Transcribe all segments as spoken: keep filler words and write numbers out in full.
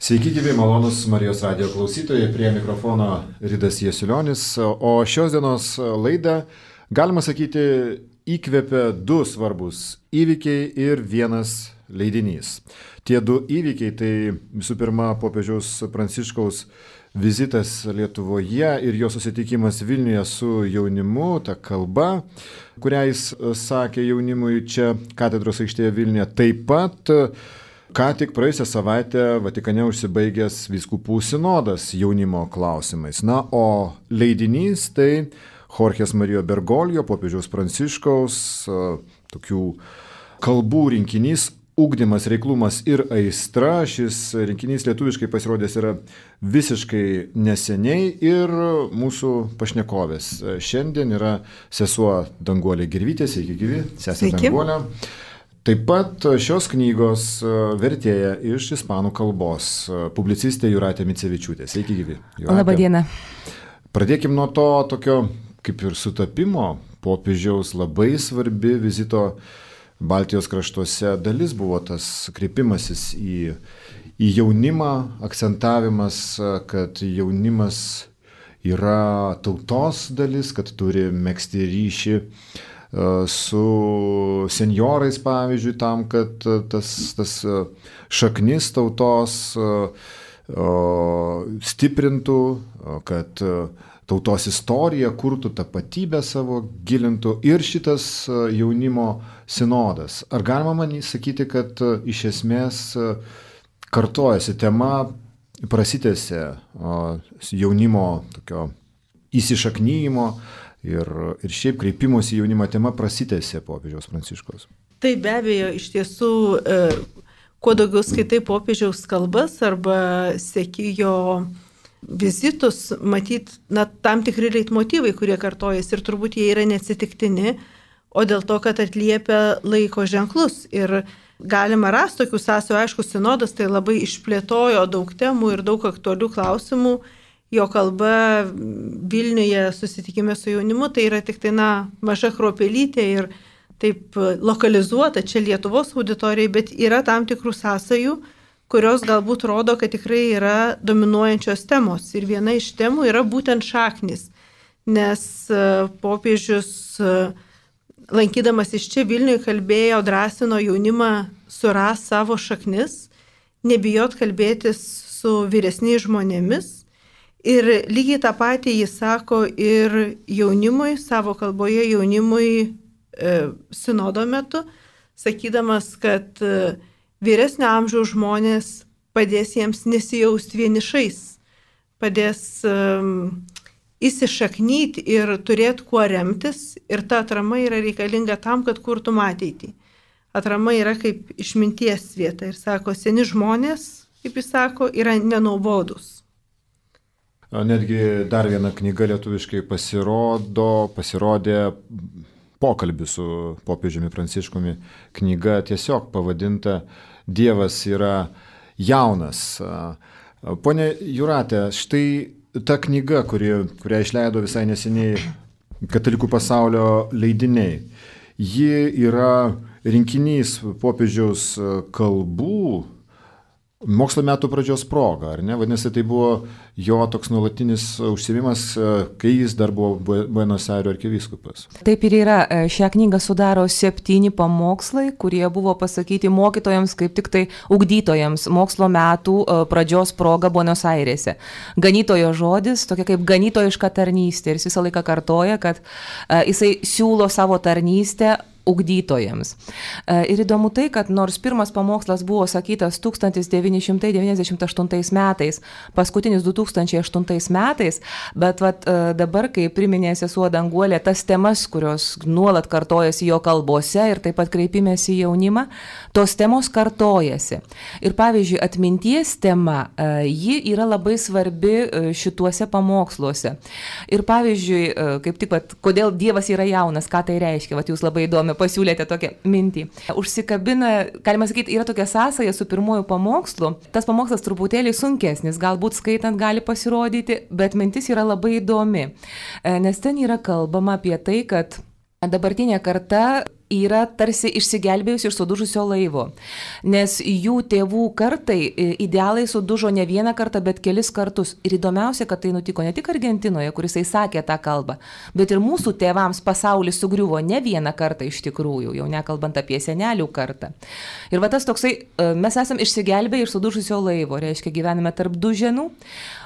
Sveiki, gyvi, malonus Marijos radijo klausytojai, prie mikrofono Ridas Jasiulionis, o šios dienos laidą, galima sakyti, įkvėpė du svarbus įvykiai ir vienas leidinys. Tie du įvykiai tai visų pirma popiežiaus Pranciškaus vizitas Lietuvoje ir jo susitikimas Vilniuje su jaunimu, ta kalba, kurią jis sakė jaunimui čia katedros aikštėje Vilniuje. Taip pat ką tik praėjusią savaitę Vatikane užsibaigęs vyskupų sinodas jaunimo klausimais. Na, o leidinys tai Jorges Mario Bergoglio, popiežiaus Pranciškaus, tokių kalbų rinkinys Ugdymas, reiklumas ir aistra. Šis rinkinys lietuviškai pasirodęs yra visiškai neseniai ir mūsų pašnekovės šiandien yra sesuo Danguolė Girvytė. Sveiki, gyvi, sesė Danguolė. Taip pat šios knygos vertėja iš ispanų kalbos publicistė Jūratė Micevičiūtė. Sveiki, gyvi. Labą dieną. Pradėkim nuo to tokio kaip ir sutapimo. Popiežiaus labai svarbi vizito Baltijos kraštuose dalis buvo tas kreipimasis į, į jaunimą, akcentavimas, kad jaunimas yra tautos dalis, kad turi megzti ryšį su senjorais, pavyzdžiui, tam, kad tas, tas šaknis tautos stiprintų, kad tautos istorija kurtų tapatybę savo, gilintų ir šitas jaunimo sinodas. Ar galima man sakyti, kad iš esmės kartojasi tema, prasitęsė jaunimo tokio įsišaknyjimo, Ir, ir šiaip kreipimosi jaunimo tema prasitęsė popiežiaus Pranciškaus. Tai be abejo, iš tiesų, e, kuo daugiau skaitai popiežiaus kalbas arba seki jo vizitus, matyt, na, tam tikri leitmotyvai, kurie kartojasi ir turbūt jie yra neatsitiktini, o dėl to, kad atliepia laiko ženklus. Ir galima rasti tokių sąsajų, aišku, sinodas tai labai išplėtojo daug temų ir daug aktualių klausimų. Jo kalba Vilniuje susitikime su jaunimu, tai yra tik tai, na, maža kruopelytė ir taip lokalizuota čia Lietuvos auditorijai, bet yra tam tikrų sąsajų, kurios galbūt rodo, kad tikrai yra dominuojančios temos. Ir viena iš temų yra būtent šaknis, nes popiežius, lankydamas iš čia Vilniuje, kalbėjo, drąsino jaunimą suras savo šaknis, nebijot kalbėtis su vyresniais žmonėmis. Ir lygiai tą patį jis sako ir jaunimui, savo kalboje jaunimui e, sinodo metu, sakydamas, kad e, vyresnio amžiaus žmonės padės jiems nesijausti vienišais, padės e, įsišaknyti ir turėti kuo remtis. Ir ta atrama yra reikalinga tam, kad kurtum ateitį. Atrama yra kaip išminties vieta. Ir sako, seni žmonės, kaip jis sako, yra nenuobodūs. Netgi dar viena knyga lietuviškai pasirodo, pasirodė pokalbis su popiežiumi Pranciškumi. Knyga tiesiog pavadinta Dievas yra jaunas. Pone Jūrate, štai ta knyga, kuri, kurią išleido visai neseniai Katalikų pasaulio leidiniai, ji yra rinkinys popiežiaus kalbų mokslo metų pradžios proga, ar ne? Vadinasi, tai buvo jo toks nuolatinis užsiėmimas, kai jis dar buvo Buenos Airių arkivyskupas. Taip ir yra. Šią knygą sudaro septyni pamokslai, kurie buvo pasakyti mokytojams, kaip tik tai ugdytojams mokslo metų pradžios proga Buenos Airėse. Ganytojo žodis, tokia kaip ganytojiška tarnystė. Ir jis visą laiką kartoja, kad jisai siūlo savo tarnystę ugdytojams. Ir įdomu tai, kad nors pirmas pamokslas buvo sakytas tūkstantis devyni šimtai devyniasdešimt aštuntais metais, paskutinis du tūkstančiai aštuntais metais, bet vat, dabar, kai priminė sesuo Danguolė tas temas, kurios nuolat kartojasi jo kalbose ir taip pat kreipimėsi į jaunimą, tos temos kartojasi. Ir pavyzdžiui, atminties tema, ji yra labai svarbi šituose pamoksluose. Ir pavyzdžiui, kaip tik, vat, kodėl Dievas yra jaunas, ką tai reiškia, vat, jūs labai įdomi pasiūlėte tokią mintį. Užsikabina, galima sakyti, yra tokia sąsaja su pirmuoju pamokslu. Tas pamokslas truputėlį sunkesnis, galbūt skaitant gali pasirodyti, bet mintis yra labai įdomi. Nes ten yra kalbama apie tai, kad Dabartinė karta yra tarsi išsigelbėjusi iš sudužusio laivo, nes jų tėvų kartai idealai sudužo ne vieną kartą, bet kelis kartus. Ir įdomiausia, kad tai nutiko ne tik Argentinoje, kuris sakė tą kalbą, bet ir mūsų tėvams pasaulis sugriuvo ne vieną kartą iš tikrųjų, jau nekalbant apie senelių kartą. Ir va tas toksai, mes esam išsigelbėję iš sudužusio laivo, reiškia gyvename tarp duženų.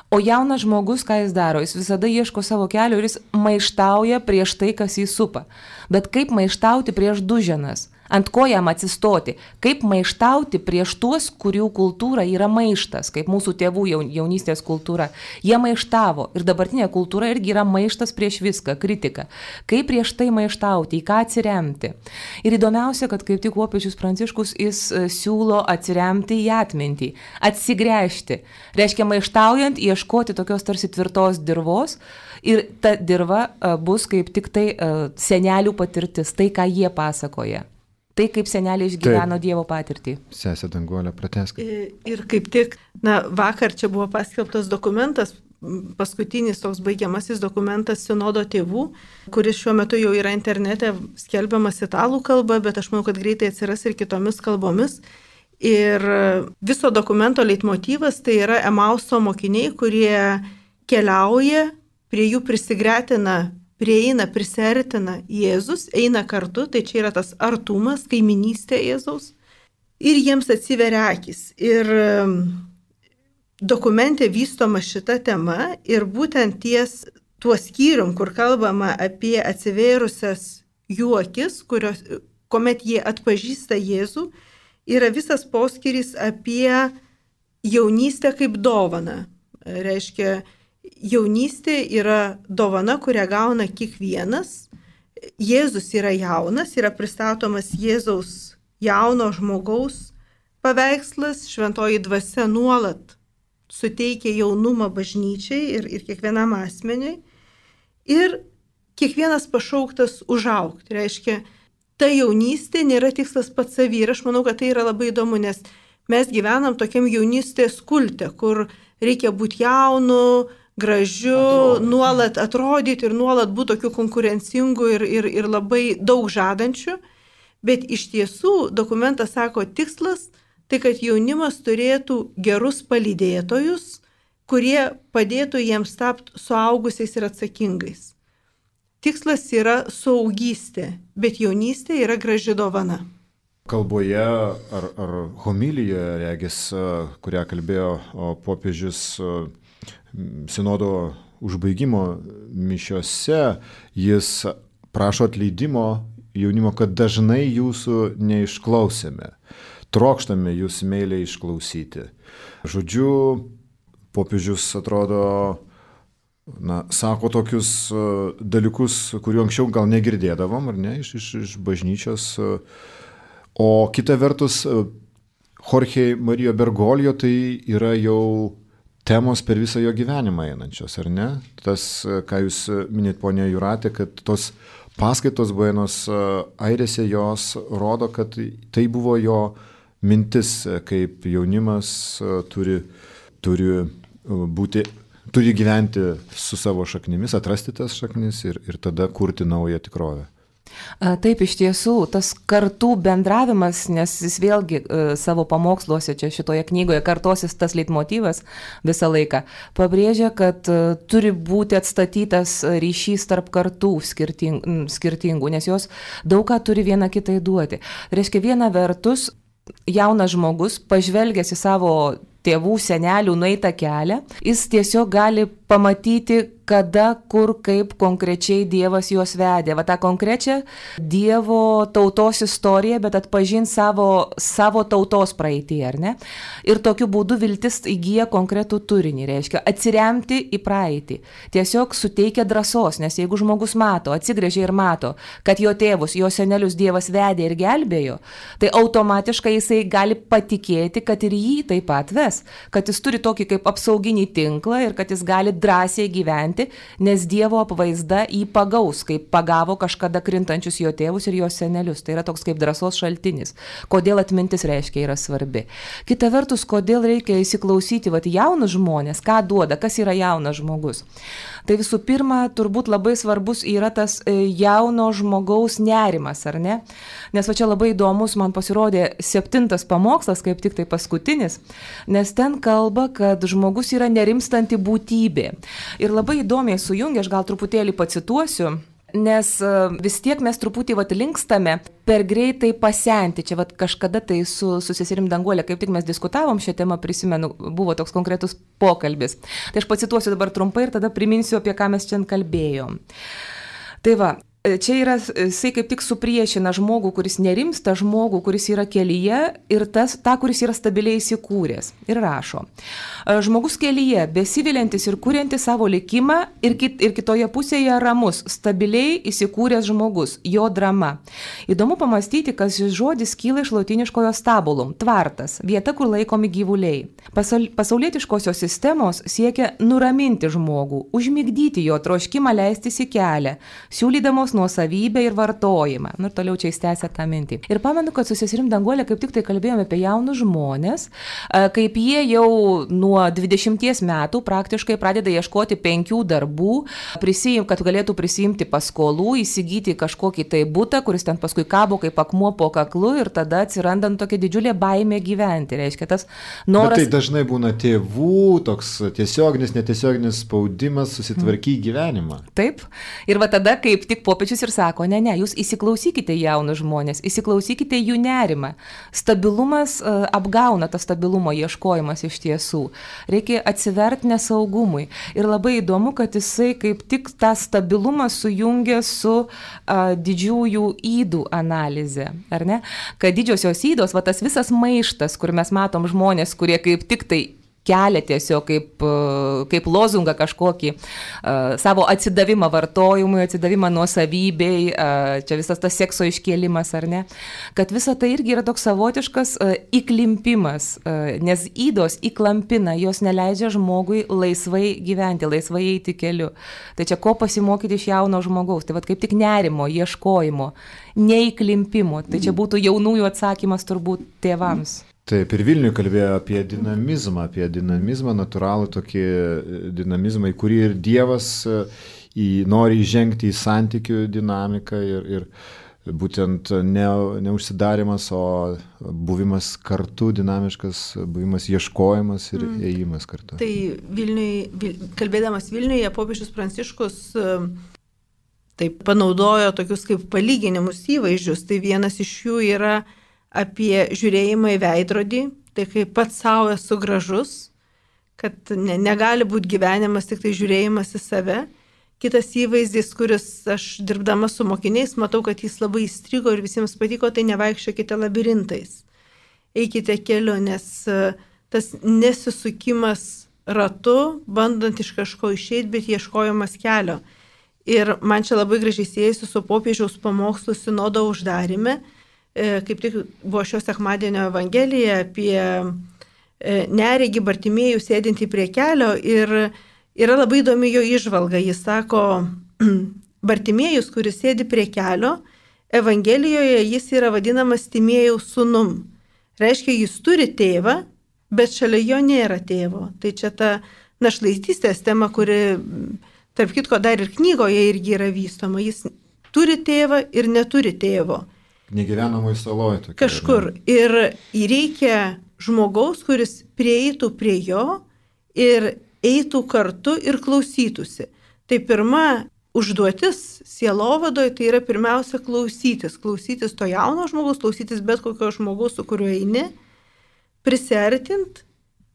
O jaunas žmogus, ką jis daro, jis visada ieško savo kelio ir jis maištauja prieš tai, kas jį supa. Bet kaip maištauti prieš duženas? Ant ko jam atsistoti? Kaip maištauti prieš tuos, kurių kultūra yra maištas, kaip mūsų tėvų jaunystės kultūra. Jie maištavo ir dabartinė kultūra irgi yra maištas prieš viską, kritika. Kaip prieš tai maištauti, į ką atsiremti? Ir įdomiausia, kad kaip tik popiežius Pranciškus jis siūlo atsiremti į atmintį, atsigręžti. Reiškia maištaujant, ieškoti tokios tarsi tvirtos dirvos ir ta dirva bus kaip tik tai senelių patirtis, tai ką jie pasakoja. Tai kaip seneliai išgyveno Taip. Dievo patirtį. Sesė Danguolė, pratęsk. Ir kaip tik, na, vakar čia buvo paskelbtas dokumentas, paskutinis toks baigiamasis dokumentas Sinodo tėvų, kuris šiuo metu jau yra internete skelbiamas italų kalba, bet aš manau, kad greitai atsiras ir kitomis kalbomis. Ir viso dokumento leitmotyvas tai yra Emauso mokiniai, kurie keliauja, prie jų prisigretina prieina, prisertina Jėzus, eina kartu, tai čia yra tas artumas, kaiminystė Jėzaus, ir jiems atsiveria akis. Ir dokumente vystoma šita tema ir būtent ties tuo skyrium, kur kalbama apie atsivėrusias jų akis, kurios, kuomet jie atpažįsta Jėzų, yra visas poskyris apie jaunystę kaip dovaną. Reiškia, jaunystė yra dovana, kurią gauna kiekvienas. Jėzus yra jaunas, yra pristatomas Jėzaus jauno žmogaus paveikslas, šventoji dvasia nuolat suteikia jaunumą bažnyčiai ir, ir kiekvienam asmeniui. Ir kiekvienas pašauktas užaugti. Reiškia, ta jaunystė nėra tikslas pats savy. Ir aš manau, kad tai yra labai įdomu, nes mes gyvenam tokiam jaunystės kulte, kur reikia būti jaunu, gražiu, Atrodyti. nuolat atrodyti ir nuolat būti tokiu konkurencingu ir, ir, ir labai daug žadančiu. Bet iš tiesų dokumentas sako, tikslas tai, kad jaunimas turėtų gerus palydėtojus, kurie padėtų jiems tapti suaugusiais ir atsakingais. Tikslas yra suaugystė, bet jaunystė yra graži dovana. Kalboje ar, ar homilijoje, regis, kurią kalbėjo popiežius sinodo užbaigimo mišiose, jis prašo atleidimo jaunimo, kad dažnai jūsų neišklausėme. Trokštame jūs meiliai išklausyti. Žodžiu, popiežius atrodo, na, sako tokius dalykus, kuriuo anksčiau gal negirdėdavom, ar ne, iš, iš, iš bažnyčios. O kita vertus, Jorge Mario Bergoglio tai yra jau temos per visą jo gyvenimą einančios, ar ne? Tas, ką jūs minėt, ponė Jūratė, kad tos paskaitos Buenos Airėse jos rodo, kad tai buvo jo mintis, kaip jaunimas turi, turi būti, turi gyventi su savo šaknimis, atrasti tas šaknis ir, ir tada kurti naują tikrovę. Taip, iš tiesų, tas kartų bendravimas, nes jis vėlgi savo pamoksluose čia šitoje knygoje kartosis tas leitmotyvas visą laiką, pabrėžia, kad turi būti atstatytas ryšys tarp kartų skirting, skirtingų, nes jos daug ką turi viena kitai duoti. Reiškia, viena vertus, jaunas žmogus, pažvelgęs į savo tėvų, senelių nueitą kelią, jis tiesiog gali pamatyti, kada, kur, kaip konkrečiai Dievas juos vedė. Va tą konkrečią Dievo tautos istoriją, bet atpažinti savo, savo tautos praeitį, ar ne? Ir tokiu būdu viltis įgyja konkretų turinį, reiškia atsiremti į praeitį. Tiesiog suteikia drąsos, nes jeigu žmogus mato, atsigręžia ir mato, kad jo tėvus, jo senelius Dievas vedė ir gelbėjo, tai automatiškai jisai gali patikėti, kad ir jį taip pat ves, kad jis turi tokį kaip apsauginį tinklą ir kad jis gali drąsiai gyventi gyventi, nes Dievo apvaizda jį pagaus, kaip pagavo kažkada krintančius jo tėvus ir jo senelius. Tai yra toks kaip drąsos šaltinis. Kodėl atmintis reiškia yra svarbi. Kita vertus, kodėl reikia įsiklausyti vat, jaunus žmonės, ką duoda, kas yra jaunas žmogus. Tai visų pirma, turbūt labai svarbus yra tas jauno žmogaus nerimas, ar ne? Nes va čia labai įdomus man pasirodė septintas pamokslas, kaip tik tai paskutinis, nes ten kalba, kad žmogus yra nerimstanti būtybė. Ir labai įdomiai sujungia, aš gal truputėlį pacituosiu, nes vis tiek mes truputį vat linkstame per greitai pasenti. Čia vat kažkada tai su, su seserim Danguolė, kaip tik mes diskutavom šią temą, prisimenu, buvo toks konkretus pokalbis. Tai aš pacituosiu dabar trumpai ir tada priminsiu, apie ką mes čia kalbėjom. Tai va, čia yra, jisai kaip tik supriešina žmogų, kuris nerimsta, žmogų, kuris yra kelyje ir tas, tą, kuris yra stabiliai įsikūręs. Ir rašo, žmogus kelyje, besiviliantis ir kuriantis savo likimą ir, kit, ir kitoje pusėje ramus, stabiliai įsikūręs žmogus, jo drama. Įdomu pamastyti, kas šis žodis kyla iš lotiniškojo stabulum, tvartas, vieta, kur laikomi gyvuliai. Pasaul, pasaulietiškosios sistemos siekia nuraminti žmogų, užmigdyti jo troškimą leistis į kelią, siūlydamos nuosavybę ir vartojimą. Nu ir toliau čia įstęsia tą mintį. Ir pamenu, kad su seserim Danguolė kaip tik tai kalbėjome apie jaunus žmonės, kaip jie jau nuo dvidešimties metų praktiškai pradeda ieškoti penkių darbų, prisijim, kad galėtų prisimti paskolų, įsigyti kažkokį tai butą, kuris ten paskui kabo kaip akmuo po kaklu ir tada atsiranda tokia didžiulė baimė gyventi. Reiškia, tas noras... Bet tai dažnai būna tėvų, toks tiesioginis, netiesioginis spaudimas susitvarkyti gyvenimą. Taip. Ir va tada, kaip tik popiežius ir sako, ne, ne, jūs įsiklausykite jaunus žmonės, įsiklausykite jų nerimą. Stabilumas uh, apgauna tą stabilumo ieškojimas iš tiesų. Reikia atsiverti nesaugumui. Ir labai įdomu, kad jisai kaip tik tą stabilumą sujungia su uh, didžiųjų ydų analize, ar ne? Kad didžiosios ydos, va tas visas maištas, kur mes matom žmonės, kurie kaip tik tai kelia tiesiog kaip, kaip lozungą kažkokį uh, savo atsidavimą vartojimui, atsidavimą nuosavybei, uh, čia visas tas sekso iškėlimas, ar ne? Kad visa tai irgi yra toks savotiškas uh, įklimpimas, uh, nes ydos įklampina, jos neleidžia žmogui laisvai gyventi, laisvai eiti keliu. Tai čia ko pasimokyti iš jauno žmogaus? Tai vat kaip tik nerimo, ieškojimo, neįklimpimo. Tai čia būtų jaunųjų atsakymas turbūt tėvams. Taip, ir Vilniuje kalbėjo apie dinamizmą, apie dinamizmą, natūralų tokį dinamizmą, į kurį ir Dievas į, nori įžengti į santykių dinamiką ir, ir būtent ne, neužsidarimas, o buvimas kartu, dinamiškas, buvimas ieškojimas ir mm. ėjimas kartu. Tai Vilniuje, kalbėdamas Vilniuje, popiežius Pranciškus taip panaudojo tokius kaip palyginimus įvaizdžius, tai vienas iš jų yra apie žiūrėjimą į veidrodį, tai kaip pats savo esu gražus, kad ne, negali būti gyvenimas tik tai žiūrėjimas į save. Kitas įvaizdis, kuris aš dirbdama su mokiniais, matau, kad jis labai įstrigo ir visiems patiko, tai nevaikščiokite labirintais. Eikite keliu, nes tas nesisukimas ratu, bandant iš kažko išeiti, bet ieškojimas kelio. Ir man čia labai gražiai siejasi su popiežiaus pamokslu sinodo uždarime. Kaip tik buvo šio sekmadienio evangelija apie neregį Bartimiejų sėdintį prie kelio ir yra labai įdomi jo įžvalga. Jis sako, Bartimiejus, kuris sėdi prie kelio, evangelijoje jis yra vadinamas Timėjaus sūnum. Reiškia, jis turi tėvą, bet šalia jo nėra tėvo. Tai čia ta našlaitystės tema, kuri, tarp kitko, dar ir knygoje irgi yra vystoma. Jis turi tėvą ir neturi tėvo. Negyvenamoj saloj. Tokia, kažkur. Ne? Ir reikia žmogaus, kuris prieitų prie jo ir eitų kartu ir klausytųsi. Tai pirma užduotis sielovadoje tai yra pirmiausia klausytis. Klausytis to jauno žmogaus, klausytis bet kokio žmogaus, su kuriuo eini, prisiartint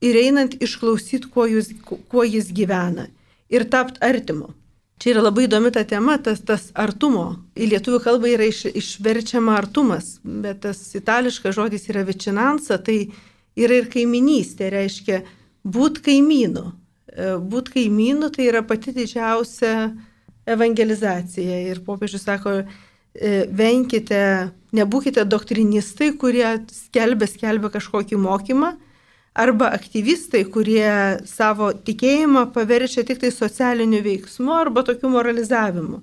ir einant išklausyti, kuo jis, kuo jis gyvena ir tapt artimu. Čia yra labai įdomi ta tema, tas, tas artumo. Į lietuvių kalbą yra iš, išverčiama artumas, bet tas itališkas žodis yra vicinanza, tai yra ir kaiminystė, reiškia būt kaimynu. Būt kaimynu tai yra pati didžiausia evangelizacija. Ir popiežius sako, venkite, nebūkite doktrinistai, kurie skelbia, skelbia kažkokį mokymą, arba aktyvistai, kurie savo tikėjimą paverčia tik tai socialiniu veiksmu arba tokiu moralizavimu.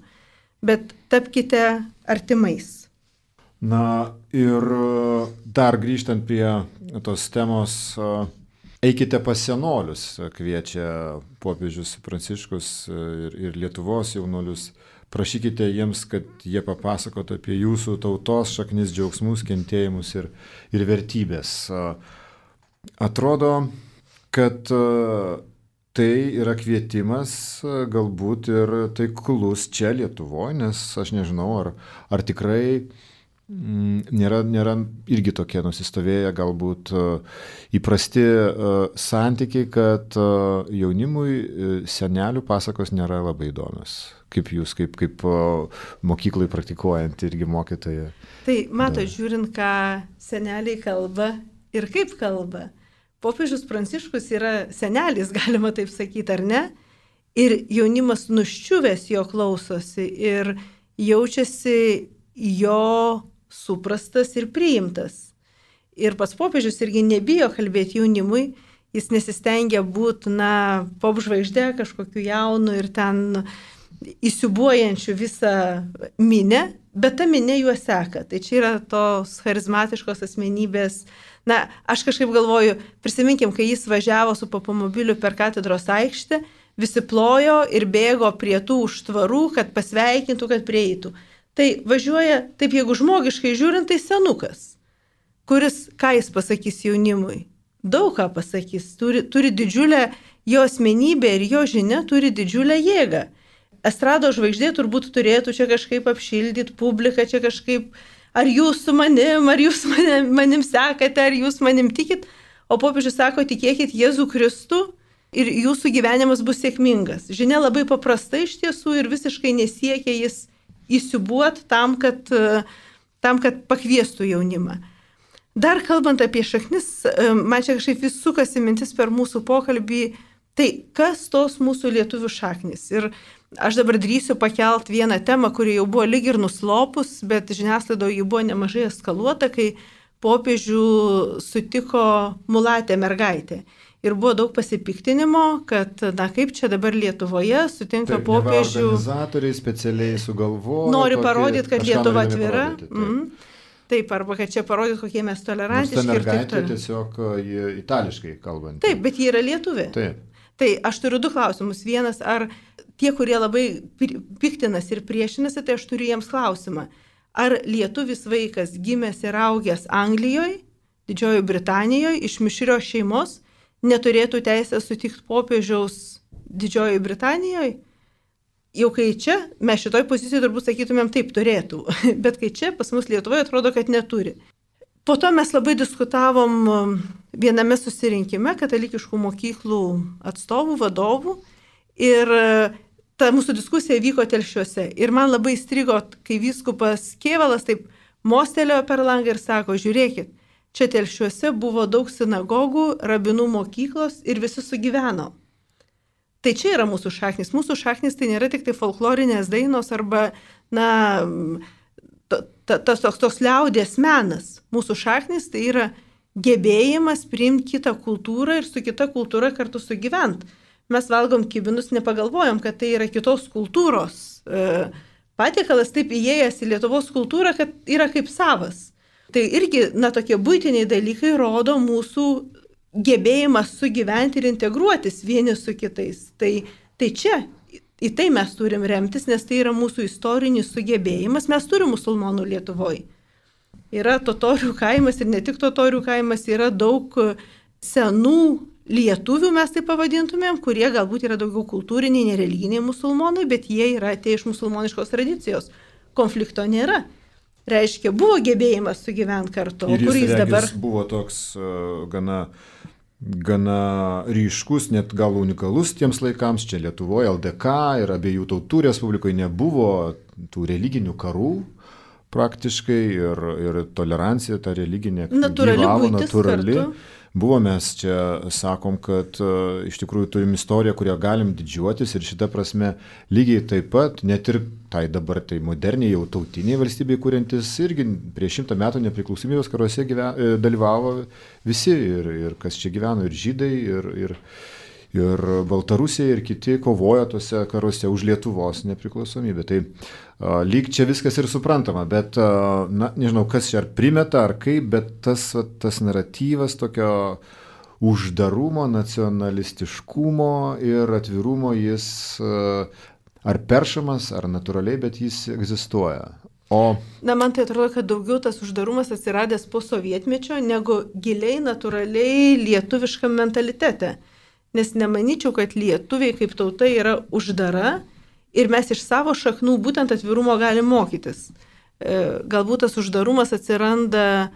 Bet tapkite artimais. Na ir dar grįžtant prie tos temos, eikite pas senolius, kviečia popiežius Pranciškus ir, ir Lietuvos jaunuolius. Prašykite jiems, kad jie papasakotų apie jūsų tautos šaknis, džiaugsmus, kentėjimus ir, ir vertybės. Atrodo, kad tai yra kvietimas galbūt ir taiklus čia Lietuvoje, nes aš nežinau, ar, ar tikrai nėra, nėra irgi tokie nusistovėję galbūt įprasti santykiai, kad jaunimui senelių pasakos nėra labai įdomios. Kaip jūs, kaip, kaip mokyklai praktikuojant irgi mokytoja. Tai mato, žiūrint, ką seneliai kalba ir kaip kalba. Popiežius Pranciškus yra senelis, galima taip sakyti, ar ne? Ir jaunimas nuščiuvęs jo klausosi ir jaučiasi jo suprastas ir priimtas. Ir pats popiežius irgi nebijo kalbėti jaunimui, jis nesistengia būti, na, popžvaigždė kažkokiu jaunu ir ten įsiubuojančių visą minę, bet ta minė juos seka. Tai čia yra tos charizmatiškos asmenybės. Na, aš kažkaip galvoju, prisiminkim, kai jis važiavo su papamobiliu per katedros aikštę, visi plojo ir bėgo prie tų užtvarų, kad pasveikintų, kad prieitų. Tai važiuoja, taip jeigu žmogiškai žiūrint, tai senukas, kuris, ką jis pasakys jaunimui? Daug ką pasakys, turi, turi didžiulę jo asmenybę ir jo žinia turi didžiulę jėgą. Estrado žvaigždė turbūt turėtų čia kažkaip apšildyti publiką, čia kažkaip, ar jūs su manim, ar jūs manim, manim sekate, ar jūs manim tikit, o popiežius sako, tikėkit Jėzų Kristų ir jūsų gyvenimas bus sėkmingas. Žinia labai paprasta iš tiesų ir visiškai nesiekia jis įsiubuot tam, kad, tam, kad pakviestų jaunimą. Dar kalbant apie šaknis, man čia kažkaip vis sukasi mintis per mūsų pokalbį, tai kas tos mūsų lietuvių šaknis? Ir aš dabar drįsiu pakelt vieną temą, kuri jau buvo lyg ir nuslopus, bet žiniasklaidoje ji buvo nemažai eskaluota, kai popiežių sutiko mulatė mergaitė. Ir buvo daug pasipiktinimo, kad, na kaip čia dabar Lietuvoje sutinka taip, popiežių. Organizatoriai specialiai sugalvojo. Nori parodyti, kad Lietuva atvira. Taip. Mm. taip, arba kad čia parodyti, kokie mes tolerantiški. Nors ta mergaitė tiesiog itališkai kalbant. Taip, bet ji yra lietuvė. Taip. Tai aš turiu du klausimus. Vienas, ar tie, kurie labai piktinasi ir priešinasi, tai aš turiu jiems klausimą. Ar lietuvis vaikas gimęs ir augęs Anglijoje, Didžiojoje Britanijoje, iš mišrios šeimos, neturėtų teisę sutikti popiežiaus Didžiojoje Britanijoje? Jau kai čia, mes šitoj pozicijoje turbūt sakytumėm taip turėtų, bet kai čia pas mus Lietuvoje atrodo, kad neturi. Po to mes labai diskutavom viename susirinkime katalikiškų mokyklų atstovų, vadovų ir ta mūsų diskusija vyko Telšiuose. Ir man labai įstrigo, kai vyskupas Kėvalas taip mostelėjo per langą ir sako, žiūrėkit, čia Telšiuose buvo daug sinagogų, rabinų mokyklos ir visi sugyveno. Tai čia yra mūsų šaknis. Mūsų šaknis tai nėra tik tai folklorinės dainos arba, na, tas toks, toks liaudės menas. Mūsų šaknis tai yra gebėjimas priimti kitą kultūrą ir su kita kultūra kartu sugyvent. Mes valgom kibinus, nepagalvojom, kad tai yra kitos kultūros patiekalas, taip įėjęs į Lietuvos kultūrą, kad yra kaip savas. Tai irgi, na, tokie buitiniai dalykai rodo mūsų gebėjimas sugyventi ir integruotis vieni su kitais. Tai, tai čia, į tai mes turim remtis, nes tai yra mūsų istorinis sugebėjimas. Mes turim musulmonų Lietuvoje. Yra totorių kaimas ir ne tik totorių kaimas, yra daug senų lietuvių, mes tai pavadintumėm, kurie galbūt yra daugiau kultūriniai, nereliginiai musulmonai, bet jie yra atėję iš musulmoniškos tradicijos. Konflikto nėra. Reiškia, buvo gebėjimas sugyventi kartu. Ir jis, jis dabar buvo toks uh, gana, gana ryškus, net gal unikalus tiems laikams. Čia Lietuvoje L D K ir abiejų tautų respublikoje nebuvo tų religinių karų praktiškai ir, ir tolerancija, ta religinė natūrali gyvavo, buitis natūrali kartu. buvo, mes čia sakom, kad uh, iš tikrųjų turim istoriją, kurią galim didžiuotis ir šitą prasme lygiai taip pat, net ir tai dabar tai moderniai jau tautiniai valstybei kuriantis, irgi prieš šimtą metų nepriklausomybės karuose gyven, dalyvavo visi ir, ir kas čia gyveno, ir žydai, ir, ir, ir Baltarusija, ir kiti kovojo tuose karuose už Lietuvos nepriklausomybę. Tai uh, lyg čia viskas ir suprantama, bet, uh, na, nežinau, kas čia ar primeta, ar kaip, bet tas, tas naratyvas tokio uždarumo, nacionalistiškumo ir atvirumo jis uh, ar peršamas, ar natūraliai, bet jis egzistuoja. O... Na, man tai atrodo, kad daugiau tas uždarumas atsiradęs po sovietmečio, negu giliai, natūraliai lietuviškam mentalitete. Nes nemanyčiau, kad lietuviai kaip tauta yra uždara ir mes iš savo šaknų būtent atvirumo galim mokytis. E, galbūt tas uždarumas atsiranda,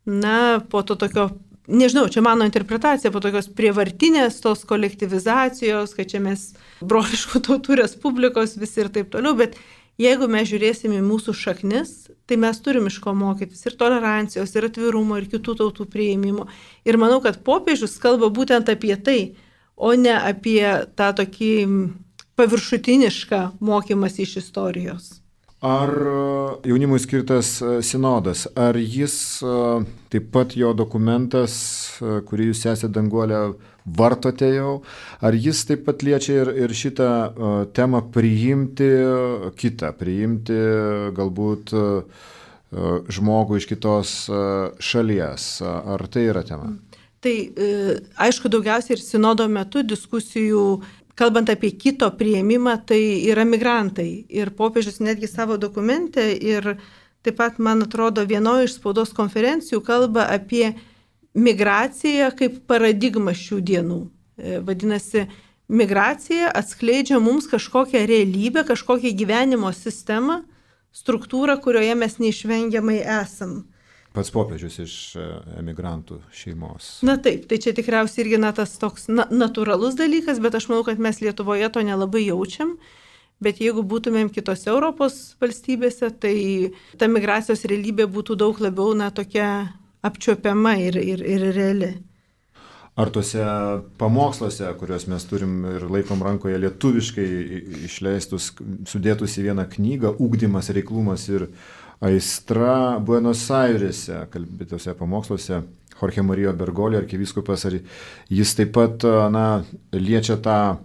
na, po to tokio, nežinau, čia mano interpretacija, po tokios prievartinės tos kolektyvizacijos, kad čia mes broliškų tautų respublikos visi ir taip toliau, bet jeigu mes žiūrėsim į mūsų šaknis, tai mes turim iš ko mokytis ir tolerancijos, ir atvirumo, ir kitų tautų priėmimo. Ir manau, kad popiežius kalba būtent apie tai, o ne apie tą tokį paviršutinišką mokymąsi iš istorijos. Ar jaunimui skirtas sinodas, ar jis, taip pat jo dokumentas, kurį jūs esate, Danguolė, vartote jau, ar jis taip pat liečia ir, ir šitą temą priimti kitą, priimti galbūt žmogų iš kitos šalies, ar tai yra tema? Tai aišku, daugiausiai ir sinodo metu diskusijų, kalbant apie kito priėmimą, tai yra migrantai. Ir popiežius netgi savo dokumente ir taip pat, man atrodo, vienoje iš spaudos konferencijų kalba apie migraciją kaip paradigmą šių dienų. Vadinasi, migracija atskleidžia mums kažkokią realybę, kažkokią gyvenimo sistemą, struktūrą, kurioje mes neišvengiamai esam. Pats popiežius iš emigrantų šeimos. Na taip, tai čia tikriausiai irgi na, tas toks na, natūralus dalykas, bet aš manau, kad mes Lietuvoje to nelabai jaučiam. Bet jeigu būtumėm kitose Europos valstybėse, tai ta migracijos realybė būtų daug labiau na, tokia apčiuopiama ir, ir, ir reali. Ar tuose pamoksluose, kuriuos mes turim ir laikom rankoje lietuviškai išleistus, sudėtus į vieną knygą, ugdymas, reiklumas ir aistra Buenos Airėse, kalbėtose pamoksluose, Jorge Mario Bergoglio arkivyskupas, ar jis taip pat na, liečia tą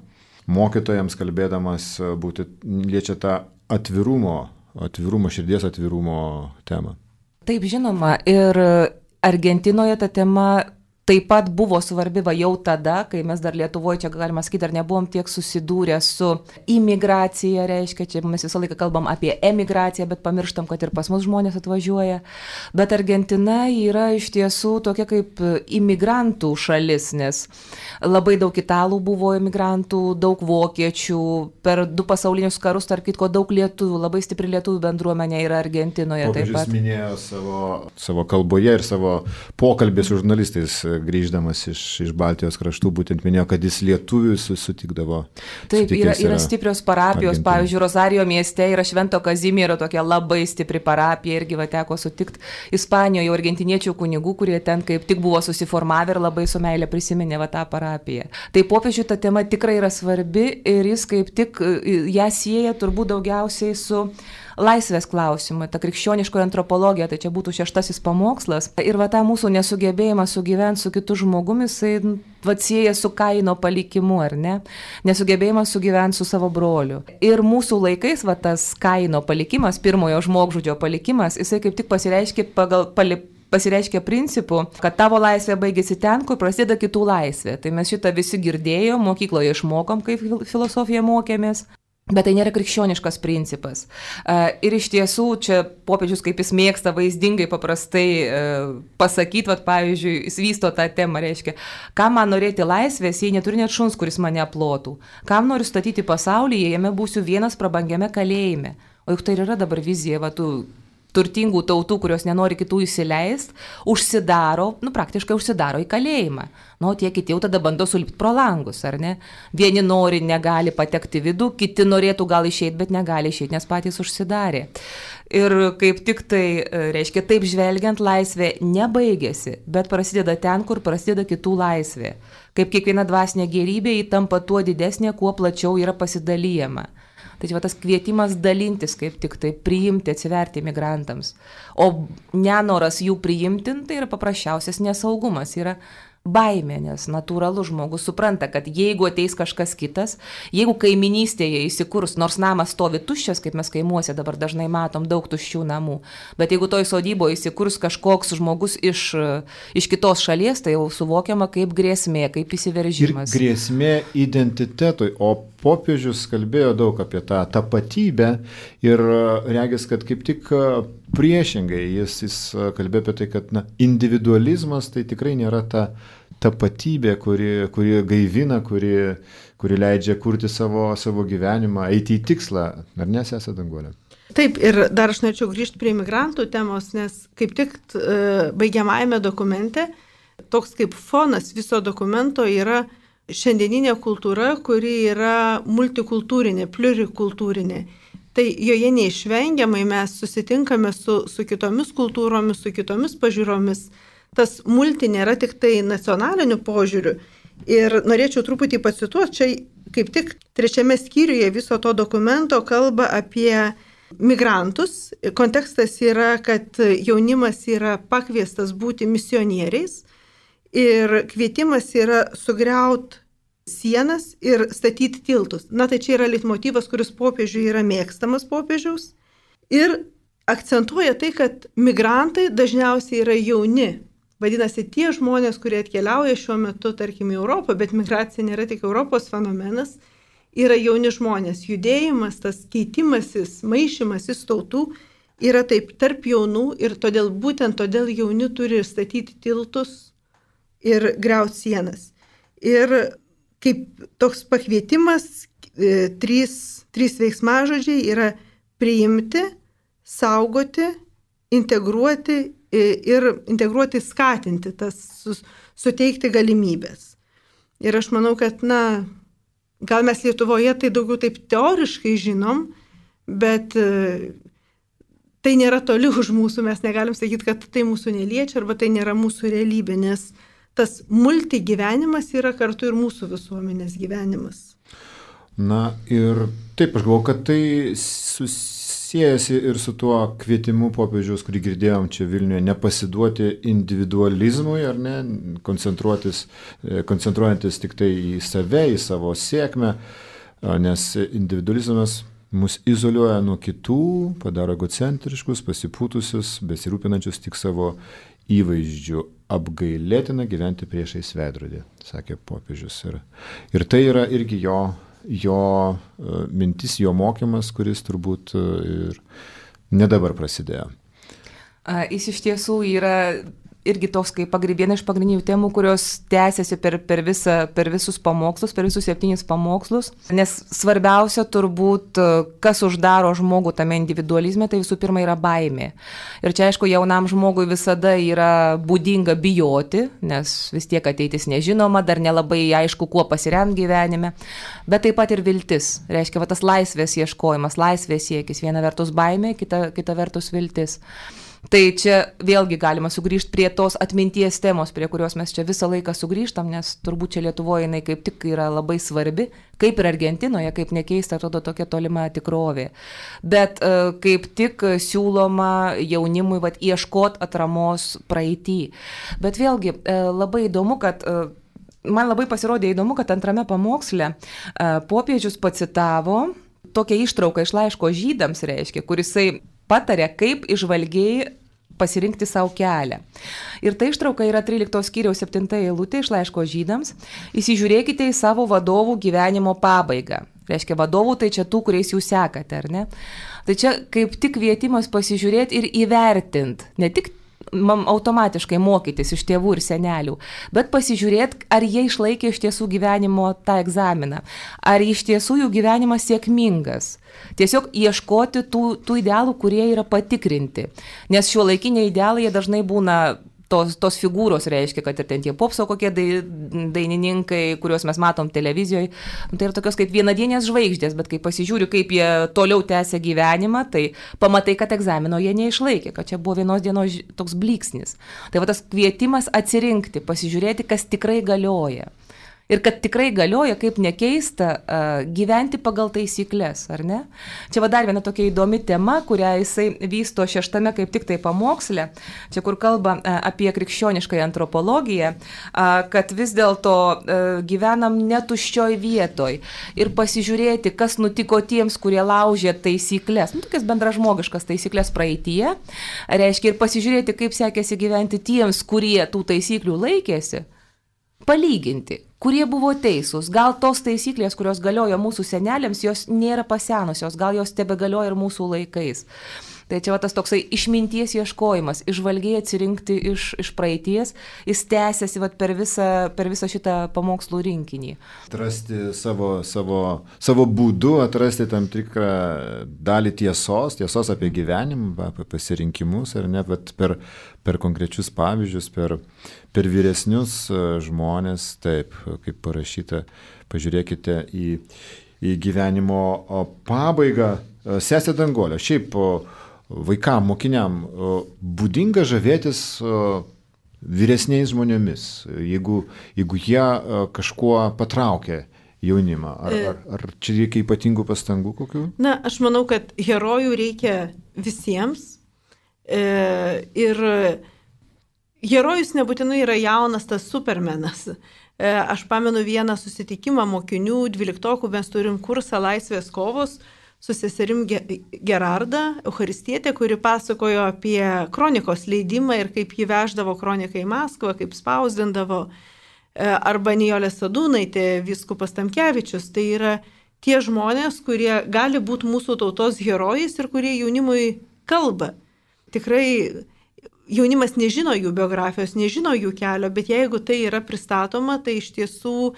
mokytojams kalbėdamas, būti, liečia tą atvirumo, atvirumo, širdies atvirumo temą. Taip, žinoma, ir Argentinoje ta tema taip pat buvo svarbi va jau tada, kai mes dar Lietuvoje, čia galima sakyti, dar nebuvom tiek susidūrę su imigracija, reiškia, čia mes visą laiką kalbam apie emigraciją, bet pamirštam, kad ir pas mus žmonės atvažiuoja. Bet Argentina yra iš tiesų tokia kaip imigrantų šalis, nes labai daug italų buvo imigrantų, daug vokiečių, per du pasaulinius karus, tarp kitko, daug lietuvių, labai stipri lietuvių bendruomenė yra Argentinoje. Popiežius taip pat minėjo savo, savo kalboje ir savo pokalbį su žurnalistais, grįždamas iš, iš Baltijos kraštų, būtent minėjo, kad jis lietuvius sutikdavo. Taip, yra, yra stiprios parapijos, Argentina. Pavyzdžiui, Rosario mieste yra Švento Kazimiero tokia labai stipri parapija, irgi va teko sutikti Ispanijoje argentiniečių kunigų, kurie ten kaip tik buvo susiformavę ir labai su meilė prisiminė va tą parapiją. Tai popiežiui ta tema tikrai yra svarbi ir jis kaip tik ją sieja turbūt daugiausiai su laisvės klausimai, ta krikščioniškoji antropologija, tai čia būtų šeštasis pamokslas. Ir va tą mūsų nesugebėjimą sugyventi su kitu žmogumi, jisai va sieja su Kaino palikimu, ar ne? Nesugebėjimas sugyventi su savo broliu. Ir mūsų laikais va tas Kaino palikimas, pirmojo žmogžudžio palikimas, jisai kaip tik pasireiškia pagal pali, pasireiškia principu, kad tavo laisvė baigėsi ten, kur prasideda kitų laisvė. Tai mes šitą visi girdėjom, mokykloje išmokom, kaip filosofiją mokėmės. Bet tai nėra krikščioniškas principas. Ir iš tiesų čia popiežius, kaip jis mėgsta vaizdingai paprastai pasakyti, vat, pavyzdžiui, jis vysto tą temą, reiškia, kam man norėti laisvės, jei neturi net šuns, kuris mane aplotų. Kam noriu statyti pasaulį, jei jame būsiu vienas prabangiame kalėjime. O juk tai yra dabar vizija, va, tų turtingų tautų, kurios nenori kitų įsileisti, užsidaro, nu praktiškai užsidaro į kalėjimą. Nu, tie kiti jau tada bando sulipti pro langus, ar ne? Vieni nori, negali patekti vidų, kiti norėtų gal išeiti, bet negali išeiti, nes patys užsidarė. Ir kaip tik tai, reiškia, taip žvelgiant, laisvė nebaigėsi, bet prasideda ten, kur prasideda kitų laisvė. Kaip kiekviena dvasinė gerybė, ji tampa tuo didesnė, kuo plačiau yra pasidalyjama. Tai čia va tas kvietimas dalintis, kaip tik tai priimti, atsiverti migrantams. O nenoras jų priimti, tai yra paprasčiausias nesaugumas, yra baimė, nes natūralus žmogus supranta, kad jeigu ateis kažkas kitas, jeigu kaiminystėje įsikurs, nors namas stovi tuščias, kaip mes kaimuose dabar dažnai matom daug tuščių namų, bet jeigu toj sodyboje įsikurs kažkoks žmogus iš, iš kitos šalies, tai jau suvokiama kaip grėsmė, kaip įsiveržimas. Ir grėsmė identitetui, o popiežius kalbėjo daug apie tą tapatybę ir regis, kad kaip tik priešingai jis, jis kalbėjo apie tai, kad na, individualizmas tai tikrai nėra ta tapatybė, kuri, kuri gaivina, kuri, kuri leidžia kurti savo, savo gyvenimą, eiti į tikslą. Ar ne, sesė Danguolė? Taip, ir dar aš norėčiau grįžti prie migrantų temos, nes kaip tik e, baigiamajame dokumente, toks kaip fonas viso dokumento yra šiandieninė kultūra, kuri yra multikultūrinė, plurikultūrinė. Tai joje neišvengiamai mes susitinkame su, su kitomis kultūromis, su kitomis pažiūromis. Tas multi nėra tik tai nacionaliniu požiūriu. Ir norėčiau truputį pacituoti, čia kaip tik trečiame skyriuje viso to dokumento kalba apie migrantus. Kontekstas yra, kad jaunimas yra pakviestas būti misionieriais ir kvietimas yra sugriauti sienas ir statyti tiltus. Na tai čia yra leitmotyvas, kuris popiežiui yra mėgstamas popiežiaus. Ir akcentuoja tai, kad migrantai dažniausiai yra jauni. Vadinasi, tie žmonės, kurie atkeliauja šiuo metu, tarkim, į Europą, bet migracija nėra tik Europos fenomenas, yra jauni žmonės. Judėjimas, tas keitimasis, maišymasis tautų yra taip tarp jaunų ir todėl, būtent todėl jauni turi statyti tiltus ir griauti sienas. Ir kaip toks pakvietimas, e, trys, trys veiksmažodžiai yra priimti, saugoti, integruoti ir integruoti, skatinti, tas suteikti galimybės. Ir aš manau, kad, na, gal mes Lietuvoje tai daugiau taip teoriškai žinom, bet tai nėra toli už mūsų, mes negalim sakyti, kad tai mūsų neliečia arba tai nėra mūsų realybė, nes tas multigyvenimas yra kartu ir mūsų visuomenės gyvenimas. Na ir taip, aš galvoju, kad tai susijęsi ir su tuo kvietimu popiežiaus, kurį girdėjom čia Vilniuje, nepasiduoti individualizmui, ar ne, koncentruotis, koncentruojantis tik tai į save, į savo sėkmę, nes individualizmas mus izoliuoja nuo kitų, padaro egocentriškus, pasipūtusius, besirūpinančius tik savo įvaizdžių. Apgailėtina gyventi priešais veidrodį, sakė popiežius. Ir, ir tai yra irgi jo, jo mintis, jo mokymas, kuris turbūt ir ne dabar prasidėjo. Jis iš tiesų yra irgi toks kaip viena iš pagrindinių temų, kurios tęsiasi per, per, visą, per visus pamokslus, per visus septynis pamokslus. Nes svarbiausia turbūt, kas uždaro žmogų tame individualizme, tai visų pirma yra baimė. Ir čia, aišku, jaunam žmogui visada yra būdinga bijoti, nes vis tiek ateitis nežinoma, dar nelabai aišku, kuo pasiremti gyvenime. Bet taip pat ir viltis. Reiškia, va, tas laisvės ieškojimas, laisvės siekis. Viena vertus baimė, kita, kita vertus viltis. Tai čia vėlgi galima sugrįžti prie tos atminties temos, prie kurios mes čia visą laiką sugrįžtam, nes turbūt čia Lietuvoje jinai kaip tik yra labai svarbi, kaip ir Argentinoje, kaip nekeista, atrodo tokia tolima tikrovė. Bet uh, kaip tik siūloma jaunimui vat, ieškot atramos praeitį. Bet vėlgi uh, labai įdomu, kad uh, man labai pasirodė įdomu, kad antrame pamoksle uh, popiežius pacitavo tokią ištrauką iš laiško žydams, reiškia, kurisai patarė, kaip įžvalgiai pasirinkti savo kelią. Ir tai ištrauka yra tryliktos skyriaus septinta eilutė iš laiško žydams. Įsižiūrėkite į savo vadovų gyvenimo pabaigą. Reiškia, vadovų tai čia tų, kuriais jūs sekate, ar ne? Tai čia kaip tik kvietimas pasižiūrėti ir įvertinti. Ne tik automatiškai mokytis iš tėvų ir senelių, bet pasižiūrėti, ar jie išlaikė iš tiesų gyvenimo tą egzaminą, ar iš tiesų jų gyvenimas sėkmingas. Tiesiog ieškoti tų, tų idealų, kurie yra patikrinti, nes šiuolaikiniai idealai jie dažnai būna Tos, tos figūros reiškia, kad ir ten tie popso kokie dainininkai, kuriuos mes matom televizijoje, tai yra tokios kaip vienadienės žvaigždės, bet kai pasižiūriu, kaip jie toliau tęsia gyvenimą, tai pamatai, kad egzamino jie neišlaikė, kad čia buvo vienos dienos toks blyksnis. Tai va tas kvietimas atsirinkti, pasižiūrėti, kas tikrai galioja. Ir kad tikrai galioja, kaip nekeista, gyventi pagal taisyklės, ar ne? Čia va dar viena tokia įdomi tema, kurią jisai vysto šeštame kaip tik tai pamoksle, čia kur kalba apie krikščioniškąją antropologiją, kad vis dėlto gyvenam netuščioj vietoj ir pasižiūrėti, kas nutiko tiems, kurie laužė taisyklės, nu, tokias bendražmogiškas taisyklės praeityje, reiškia ir pasižiūrėti, kaip sekėsi gyventi tiems, kurie tų taisyklių laikėsi, palyginti, kurie buvo teisūs. Gal tos taisyklės, kurios galiojo mūsų seneliams, jos nėra pasenusios, gal jos tebegalioja ir mūsų laikais. Tai čia va tas toksai išminties ieškojimas, išvalgiai atsirinkti iš, iš praeities, jis tęsiasi va per visą, per visą šitą pamokslų rinkinį. Atrasti savo, savo, savo būdu, atrasti tam tikrą dalį tiesos, tiesos apie gyvenimą, apie pasirinkimus, ar ne, bet per, per konkrečius pavyzdžius, per, per vyresnius žmonės, taip, kaip parašyta, pažiūrėkite į, į gyvenimo pabaigą. Sesė Danguolė, šiaip vaikam, mokiniam būdinga žavėtis vyresniais žmonėmis, jeigu, jeigu jie kažkuo patraukia jaunimą. Ar, ar, ar čia reikia ypatingų pastangų kokių? Na, aš manau, kad herojų reikia visiems. E, ir herojus nebūtinai yra jaunas tas supermenas. E, aš pamenu vieną susitikimą mokinių, dvyliktokų, mes turim kursą Laisvės kovos, su seserim Gerarda, Eucharistietė, kuri pasakojo apie kronikos leidimą ir kaip jį veždavo kroniką į Maskvą, kaip spausdindavo, arba Nijolė Sadūnaitė, vyskupas Tamkevičius. Tai yra tie žmonės, kurie gali būti mūsų tautos herojais ir kurie jaunimui kalba. Tikrai jaunimas nežino jų biografijos, nežino jų kelio, bet jeigu tai yra pristatoma, tai iš tiesų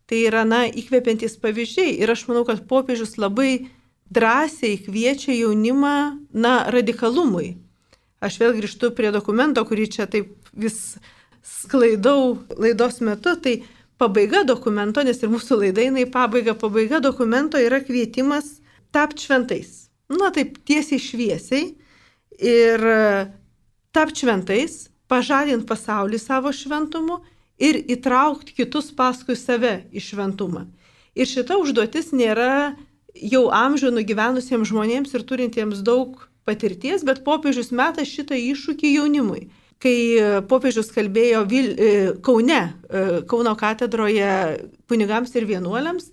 tai yra, na, įkvepiantys pavyzdžiai. Ir aš manau, kad popiežius labai drąsiai kviečia jaunimą, na, radikalumui. Aš vėl grįžtu prie dokumento, kurį čia taip vis sklaidau laidos metu, tai pabaiga dokumento, nes ir mūsų laida eina į pabaigą, pabaiga dokumento yra kvietimas tapti šventais. Na, taip tiesiai šviesiai ir tapti šventais, pažadinti pasaulį savo šventumu ir įtraukti kitus paskui save į šventumą. Ir šita užduotis nėra jau amžių nugyvenusiems žmonėms ir turintiems daug patirties, bet popiežius meta šitą iššūkį jaunimui. Kai popiežius kalbėjo Vil, Kaune, Kauno katedroje kunigams ir vienuoliams,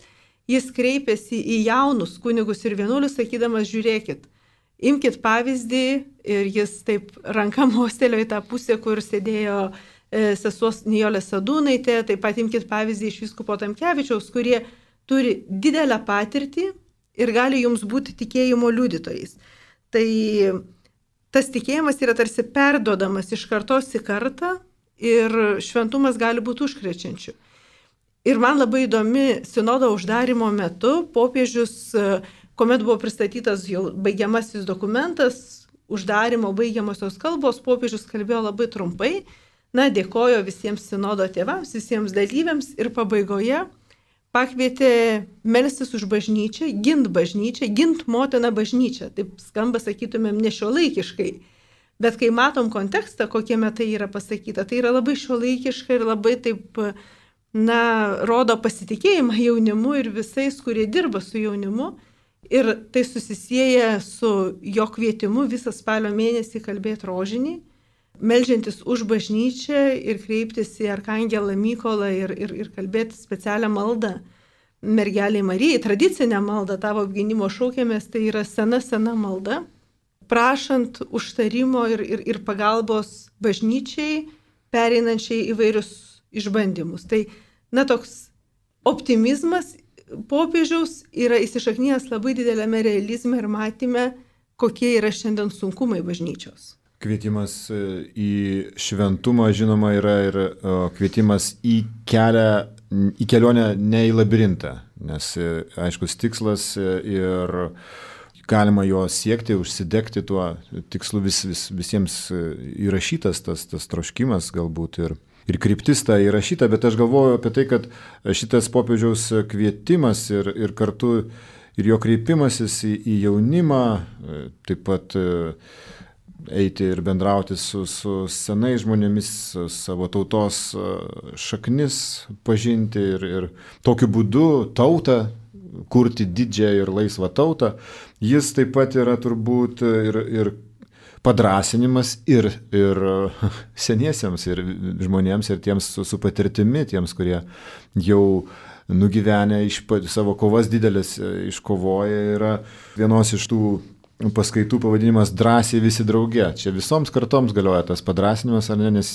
jis kreipėsi į jaunus kunigus ir vienuolius, sakydamas, žiūrėkit, imkit pavyzdį, ir jis taip ranka mostelėjo į tą pusę, kur sėdėjo sesuos Nijolė Sadūnaitė, taip pat imkit pavyzdį iš vyskupo Tamkevičiaus, kurie turi didelę patirtį ir gali jums būti tikėjimo liudytojais. Tai tas tikėjimas yra tarsi perduodamas iš kartos į kartą ir šventumas gali būti užkrečiančių. Ir man labai įdomi sinodo uždarimo metu popiežius, kuomet buvo pristatytas jau baigiamasis dokumentas, uždarimo baigiamosios kalbos, popiežius kalbėjo labai trumpai, na, dėkojo visiems sinodo tėvams, visiems dalyviams ir pabaigoje pakvietė melstis už bažnyčią, gint bažnyčią, gint motiną bažnyčią. Taip skamba, sakytumėm, nešiuolaikiškai. Bet kai matom kontekstą, kokiame tai yra pasakyta, tai yra labai šiuolaikiška ir labai taip, na, rodo pasitikėjimą jaunimu ir visais, kurie dirba su jaunimu. Ir tai susisieja su jo kvietimu visą spalio mėnesį kalbėti rožinį, meldžiantis už bažnyčią ir kreiptis į Arkangelą Mykolą ir, ir, ir kalbėti specialią maldą mergelei Marijai, tradicinę maldą tavo apgynimo šaukiamės, tai yra sena, sena malda, prašant užtarimo ir, ir, ir pagalbos bažnyčiai, pereinančiai įvairius išbandymus. Tai, na, toks optimizmas popiežiaus yra įsišaknijęs labai didelėme realizme ir matyme, kokie yra šiandien sunkumai bažnyčios. Kvietimas į šventumą, žinoma, yra ir kvietimas į kelią, į kelionę ne į labirintą, nes aiškus tikslas ir galima jo siekti, užsidegti tuo tikslu, vis, vis, visiems įrašytas tas, tas troškimas galbūt ir, ir kryptis ta įrašyta, bet aš galvoju apie tai, kad šitas popiežiaus kvietimas ir, ir kartu ir jo kreipimasis į, į jaunimą, taip pat eiti ir bendrauti su, su senais žmonėmis, savo tautos šaknis pažinti ir, ir tokiu būdu tautą, kurti didžią ir laisvą tautą, jis taip pat yra turbūt ir, ir padrasinimas ir, ir seniesiems, ir žmonėms, ir tiems su, su patirtimi, tiems, kurie jau nugyvenę iš savo kovas didelės iškovoję, yra vienos iš tų paskaitų pavadinimas drąsiai visi drauge. Čia visoms kartoms galioja tas padrasinimas, ar ne, nes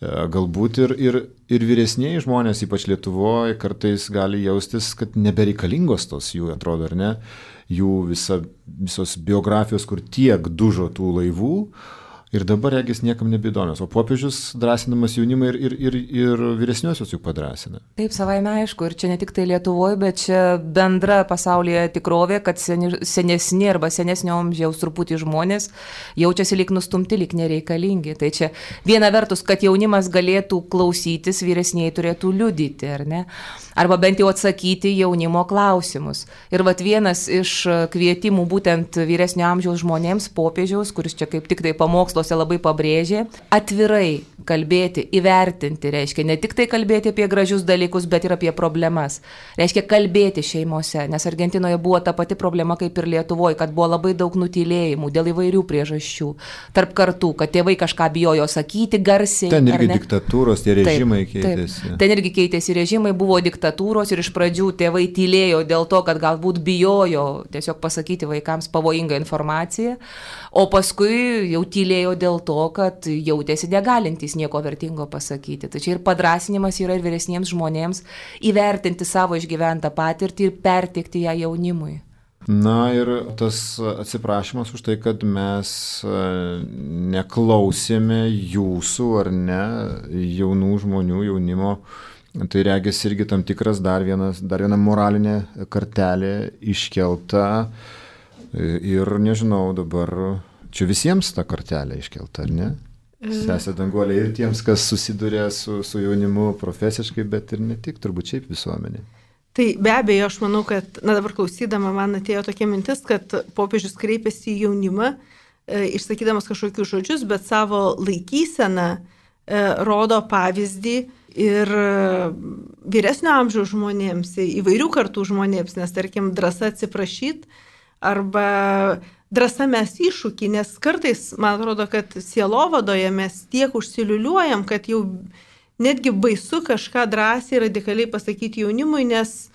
galbūt ir, ir, ir vyresniai žmonės, ypač Lietuvoje, kartais gali jaustis, kad nebereikalingos tos jų, atrodo, ar ne, jų visa, visos biografijos, kur tiek dužo tų laivų, ir dabar regis niekam nebeįdomios. O popiežius drąsinamas jaunimą ir, ir, ir, ir vyresniosios juk padrasina. Taip, savaime aišku, ir čia ne tik tai Lietuvoje, bet čia bendra pasaulyje tikrovė, kad seni, senesni arba senesnio amžiaus truputį žmonės jaučiasi lyg nustumti, lyg nereikalingi. Tai čia viena vertus, kad jaunimas galėtų klausytis, vyresniai turėtų liudyti, ar ne? Arba bent jau atsakyti jaunimo klausimus. Ir vat vienas iš kvietimų būtent vyresnio amžiaus žmonėms, popiežiaus, kuris čia kaip tik tai pamokslo labai pabrėžė, atvirai kalbėti, įvertinti, reiškia ne tik tai kalbėti apie gražius dalykus, bet ir apie problemas. Reiškia kalbėti šeimose, nes Argentinoje buvo ta pati problema kaip ir Lietuvoje, kad buvo labai daug nutylėjimų dėl įvairių priežasčių tarp kartų, kad tėvai kažką bijojo sakyti garsiai. Ten irgi diktatūros, tie režimai taip, keitėsi. Taip. Ten irgi keitėsi režimai, buvo diktatūros ir iš pradžių tėvai tylėjo dėl to, kad galbūt bijojo tiesiog pasakyti vaikams pavojingą informaciją, o paskui jau tylėjo dėl to, kad jautėsi negalintys nieko vertingo pasakyti. Tai čia ir padrasinimas yra ir vyresniems žmonėms įvertinti savo išgyventą patirtį ir perteikti ją jaunimui. Na ir tas atsiprašymas už tai, kad mes neklausėme jūsų ar ne jaunų žmonių, jaunimo, tai regis irgi tam tikras dar, vienas, dar viena moralinė kartelė iškelta ir nežinau dabar. Čia visiems ta kartelė iškelta, ar ne? Sesė Danguolė ir tiems, kas susiduria su, su jaunimu profesiškai, bet ir ne tik, turbūt šiaip visuomenė. Tai be abejo, aš manau, kad, na dabar klausydama, man atėjo tokia mintis, kad popiežius kreipėsi į jaunimą, e, išsakydamas kažkokius žodžius, bet savo laikyseną e, rodo pavyzdį ir vyresnio amžiaus žmonėms, įvairių kartų žmonėms, nes tarkim drąsa atsiprašyti arba drąsa mes iššūkį, nes kartais, man atrodo, kad sielovadoje mes tiek užsiliuliuojam, kad jau netgi baisu kažką drąsiai radikaliai pasakyti jaunimui, nes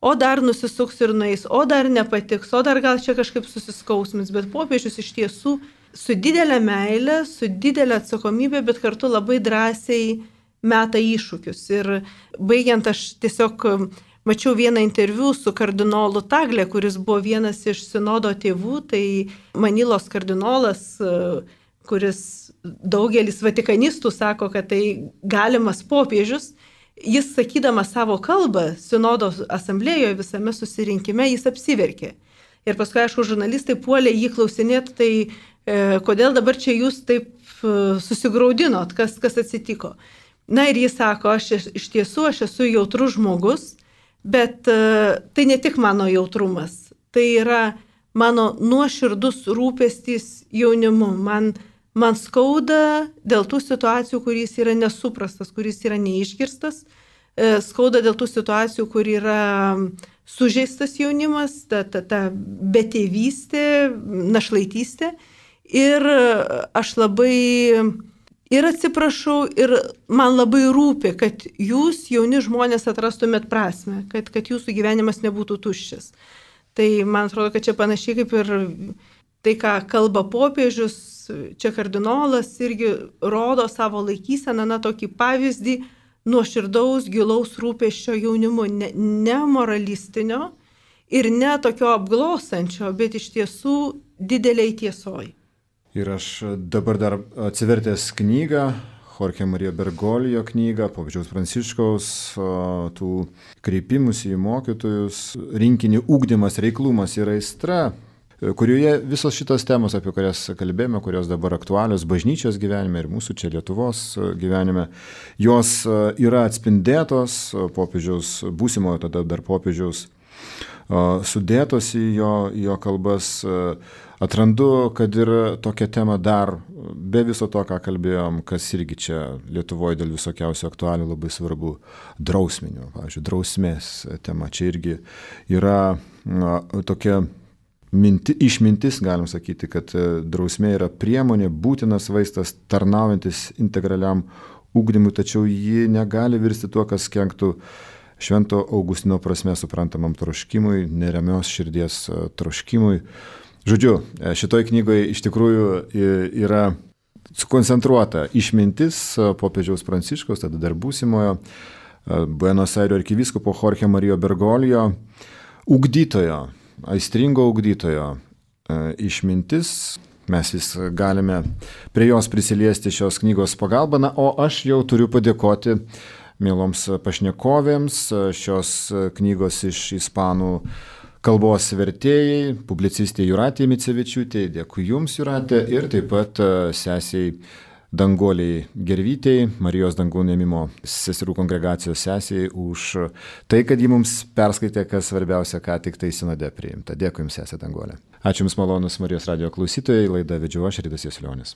o dar nusisuks ir nueis, o dar nepatiks, o dar gal čia kažkaip susiskausmis, bet popiežius iš tiesų su didelė meilė, su didelė atsakomybė, bet kartu labai drąsiai meta iššūkius. Ir baigiant, aš tiesiog mačiau vieną interviu su kardinolu Tagle, kuris buvo vienas iš sinodo tėvų, tai Manilos kardinolas, kuris daugelis vatikanistų sako, kad tai galimas popiežius. Jis sakydamas savo kalbą sinodo asamblėjoje visame susirinkime, jis apsiverkė. Ir paskui, aišku, žurnalistai puolė jį klausinėti, tai e, kodėl dabar čia jūs taip e, susigraudinot, kas, kas atsitiko. Na ir jis sako, aš iš tiesų aš esu jautrus žmogus, bet uh, tai ne tik mano jautrumas, tai yra mano nuoširdus rūpestis jaunimu. Man, man skauda dėl tų situacijų, kuris yra nesuprastas, kuris yra neišgirstas, uh, skauda dėl tų situacijų, kur yra sužeistas jaunimas, ta, ta, ta betėvystė, našlaitystė. Ir aš labai ir atsiprašau, ir man labai rūpi, kad jūs, jauni žmonės, atrastumėt prasme, kad, kad jūsų gyvenimas nebūtų tuščias. Tai man atrodo, kad čia panašiai kaip ir tai, ką kalba popiežius, čia kardinolas irgi rodo savo laikyseną, na, tokį pavyzdį nuoširdaus, gilaus rūpesčio jaunimu, ne, ne moralistinio ir ne tokio apglausančio, bet iš tiesų dideliai tiesoj. Ir aš dabar dar atsivertęs knygą, Jorge Mario Bergoglio knygą, popiežiaus Pranciškaus, tų kreipimusi į mokytojus, rinkinį ugdymas, reiklumas ir aistra, kurioje visos šitos temos, apie kurias kalbėjome, kurios dabar aktualios bažnyčios gyvenime ir mūsų čia Lietuvos gyvenime, jos yra atspindėtos popiežiaus, būsimojo tada dar popiežiaus, sudėtos į jo, jo kalbas. Atrandu, kad ir tokia tema dar, be viso to, ką kalbėjom, kas irgi čia Lietuvoje dėl visokiausių aktualių labai svarbu, drausminių, pavyzdžiui, drausmės tema. Čia irgi yra na, tokia minti, išmintis, galim sakyti, kad drausmė yra priemonė, būtinas vaistas, tarnaujantis integraliam ugdymui, tačiau ji negali virsti tuo, kas kenktų Švento Augustino prasme suprantamam troškimui, neramios širdies troškimui. Žodžiu, šitoj knygoje iš tikrųjų yra sukoncentruota išmintis popiežiaus Pranciškaus, tada dar būsimojo Buenos Airių arkivyskupo Jorge Mario Bergoglio, ugdytojo, aistringo ugdytojo išmintis. Mes vis galime prie jos prisiliesti šios knygos pagalba, na, o aš jau turiu padėkoti mieloms pašnekovėms šios knygos iš ispanų kalbos vertėjai, publicistė Jūratė Micevičiūtė, dėkui Jums, Jūratė, ir taip pat sesiai Danguolei Gervytei, Marijos Dangaus Ėmimo seserų kongregacijos sesiai, už tai, kad ji mums perskaitė, kas svarbiausia, ką tik tai sinode priimta. Dėkui Jums, sesė Danguolė. Ačiū Jums, malonus Marijos radijo klausytojai, laidą vedžiau aš, Ridas Jasiulionis.